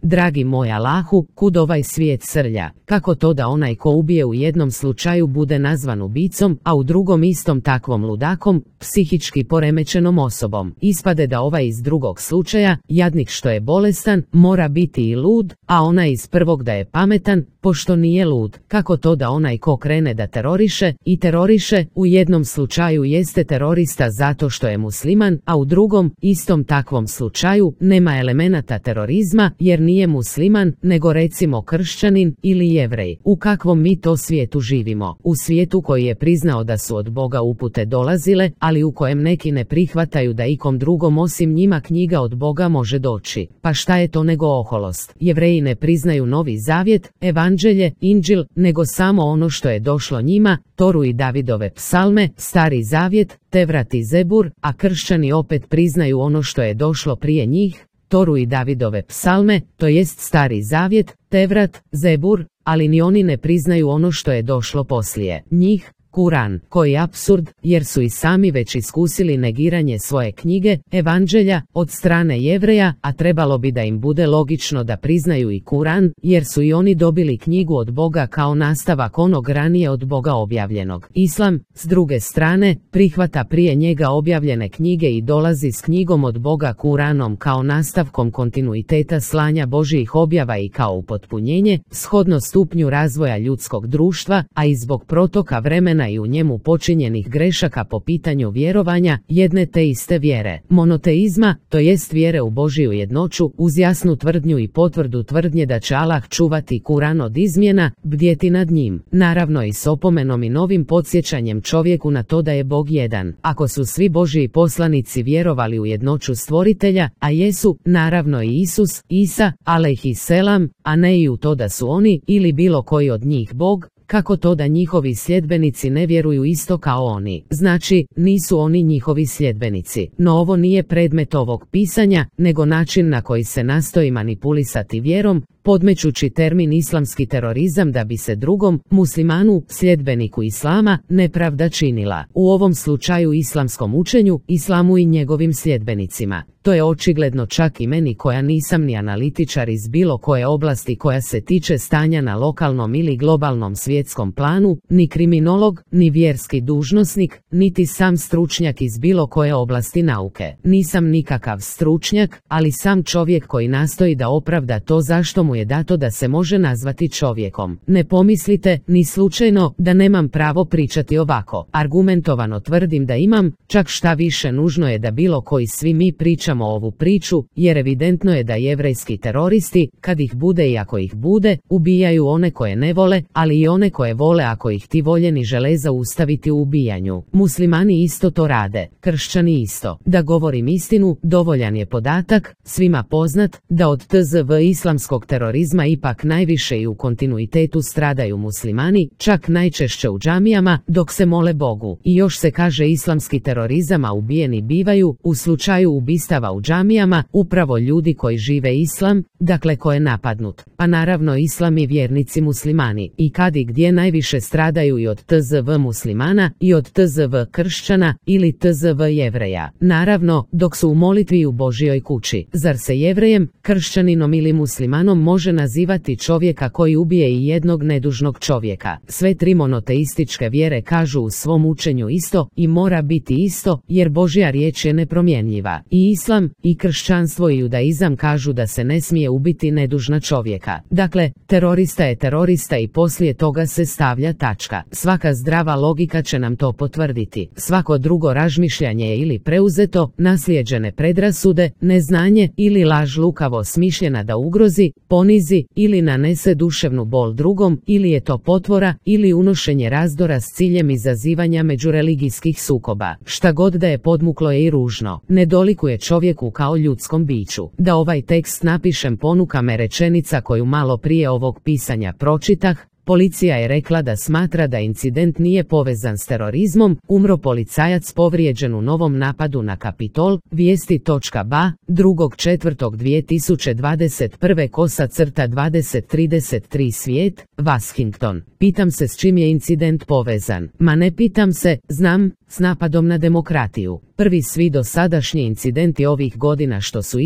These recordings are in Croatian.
dragi moj Allahu, kud ovaj svijet srlja? Kako to da onaj ko ubije u jednom slučaju bude nazvan ubicom, a u drugom istom takvom ludakom, psihički poremećenom osobom? Ispade da ovaj iz drugog slučaja, jadnik što je bolestan, mora biti i lud, a onaj iz prvog da je pametan, pošto nije lud. Kako to da onaj ko krene da teroriše i teroriše, u jednom slučaju jeste terorista zato što je musliman, a u drugom, istom takvom slučaju, nema elemenata terorizma jer nije musliman, nego recimo kršćanin ili jevrej. U kakvom mi to svijetu živimo? U svijetu koji je priznao da su od Boga upute dolazile, ali u kojem neki ne prihvataju da ikom drugom osim njima knjiga od Boga može doći. Pa šta je to nego oholost? Jevreji ne priznaju Novi Zavjet, Evanđelje, Inđil, nego samo ono što je došlo njima, Toru i Davidove psalme, Stari Zavjet, Tevrat i Zebur, a kršćani opet priznaju ono što je došlo prije njih, Toru i Davidove psalme, to jest Stari Zavjet, Tevrat, Zebur, ali ni oni ne priznaju ono što je došlo poslije njih, Kuran, koji je apsurd, jer su i sami već iskusili negiranje svoje knjige, Evanđelja, od strane Jevreja, a trebalo bi da im bude logično da priznaju i Kuran, jer su i oni dobili knjigu od Boga kao nastavak onog ranije od Boga objavljenog. Islam, s druge strane, prihvata prije njega objavljene knjige i dolazi s knjigom od Boga Kuranom kao nastavkom kontinuiteta slanja Božjih objava i kao upotpunjenje, shodno stupnju razvoja ljudskog društva, a i zbog protoka vremena i u njemu počinjenih grešaka po pitanju vjerovanja jedne te iste vjere, monoteizma, to jest vjere u Božju jednoću, uz jasnu tvrdnju i potvrdu tvrdnje da će Allah čuvati Kuran od izmjena, bdjeti nad njim, naravno i s opomenom i novim podsjećanjem čovjeku na to da je Bog jedan. Ako su svi Božji poslanici vjerovali u jednoću stvoritelja, a jesu, naravno i Isus, Isa, alejhiselam, a ne i u to da su oni ili bilo koji od njih Bog, kako to da njihovi sljedbenici ne vjeruju isto kao oni? Znači, nisu oni njihovi sljedbenici. No ovo nije predmet ovog pisanja, nego način na koji se nastoji manipulisati vjerom, podmećući termin islamski terorizam da bi se drugom, muslimanu, sljedbeniku islama, nepravda činila. U ovom slučaju islamskom učenju, islamu i njegovim sljedbenicima. To je očigledno čak i meni koja nisam ni analitičar iz bilo koje oblasti koja se tiče stanja na lokalnom ili globalnom svjetskom planu, ni kriminolog, ni vjerski dužnosnik, niti sam stručnjak iz bilo koje oblasti nauke. Nisam nikakav stručnjak, ali sam čovjek koji nastoji da opravda to zašto mu je dato da se može nazvati čovjekom. Ne pomislite, ni slučajno, da nemam pravo pričati ovako. Argumentovano tvrdim da imam, čak šta više nužno je da bilo koji svi mi pričamo ovu priču, jer evidentno je da jevrejski teroristi, kad ih bude i ako ih bude, ubijaju one koje ne vole, ali i one koje vole ako ih ti voljeni žele zaustaviti u ubijanju. Muslimani isto to rade, kršćani isto. Da govorim istinu, dovoljan je podatak, svima poznat, da od tzv islamskog terorizma ipak najviše i u kontinuitetu stradaju muslimani, čak najčešće u džamijama, dok se mole Bogu. I još se kaže islamski terorizam, a ubijeni bivaju, u slučaju ubistava u džamijama, upravo ljudi koji žive islam, dakle ko je napadnut. Pa naravno islam i vjernici muslimani. I kad i gdje najviše stradaju i od tzv muslimana, i od tzv kršćana, ili tzv jevreja. Naravno, dok su u molitvi u Božjoj kući. Zar se jevrejem, kršćaninom ili muslimanom može nazivati čovjeka koji ubije i jednog nedužnog čovjeka? Sve tri monoteističke vjere kažu u svom učenju isto i mora biti isto, jer Božja riječ je nepromjenjiva. I islam, i kršćanstvo i judaizam kažu da se ne smije ubiti nedužna čovjeka. Dakle, terorista je terorista i poslije toga se stavlja tačka. Svaka zdrava logika će nam to potvrditi. Svako drugo razmišljanje je ili preuzeto, naslijeđene predrasude, neznanje ili laž lukavo smišljena da ugrozi, ponizi ili nanese duševnu bol drugom, ili je to potvora ili unošenje razdora s ciljem izazivanja međureligijskih sukoba. Šta god da je podmuklo je i ružno. Ne dolikuje čovjeku kao ljudskom biću. Da ovaj tekst napišem ponuka me rečenica koju malo prije ovog pisanja pročitah, Policija je rekla da smatra da incident nije povezan s terorizmom, umro policajac povrijeđen u novom napadu na Kapitol, vijesti.ba, 2.4.2021 /2033 Svijet, Washington. Pitam se s čim je incident povezan. Ma ne pitam se, znam, s napadom na demokratiju. Prvi svi dosadašnji incidenti ovih godina što su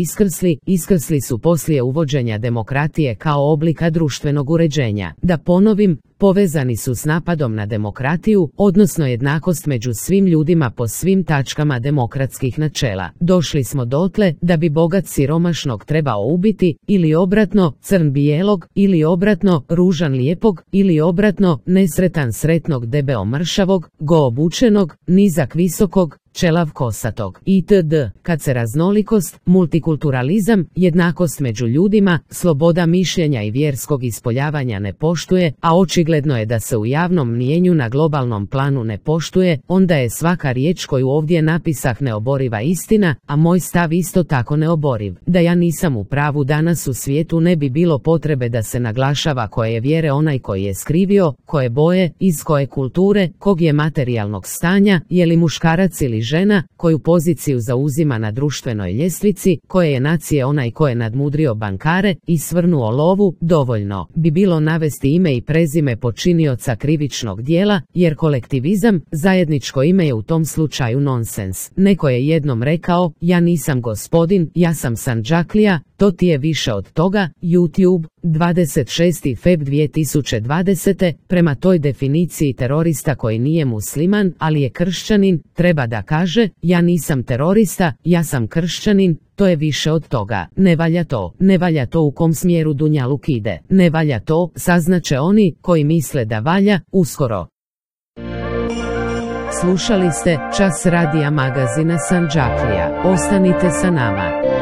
iskrsli su poslije uvođenja demokratije kao oblika društvenog uređenja. Da ponovim, povezani su s napadom na demokratiju, odnosno jednakost među svim ljudima po svim tačkama demokratskih načela. Došli smo dotle da bi bogat siromašnog trebao ubiti, ili obratno, crn bijelog, ili obratno, ružan lijepog, ili obratno, nesretan sretnog debeo mršavog, go obučenog, nizak visokog, čelav kosatog, itd. Kad se raznolikost, multikulturalizam, jednakost među ljudima, sloboda mišljenja i vjerskog ispoljavanja ne poštuje, a očigledno je da se u javnom mnijenju na globalnom planu ne poštuje, onda je svaka riječ koju ovdje napisah neoboriva istina, a moj stav isto tako neoboriv. Da ja nisam u pravu danas u svijetu ne bi bilo potrebe da se naglašava koje je vjere onaj koji je skrivio, koje boje, iz koje kulture, kog je materijalnog stanja, je li muškarac ili žena, koju poziciju zauzima na društvenoj ljestvici, koje je nacije onaj ko je nadmudrio bankare i svrnuo lovu. Dovoljno bi bilo navesti ime i prezime počinioca krivičnog djela, jer kolektivizam, zajedničko ime je u tom slučaju nonsens. Neko je jednom rekao, ja nisam gospodin, ja sam Sandžaklija, to ti je više od toga. YouTube, 26. Feb 2020. Prema toj definiciji terorista koji nije musliman, ali je kršćanin, treba da kaže, ja nisam terorista, ja sam kršćanin, to je više od toga. Ne valja to u kom smjeru dunjaluk ide. Ne valja to, saznaće oni koji misle da valja, uskoro. Slušali ste Čas radija magazina Sandžaklija. Ostanite sa nama.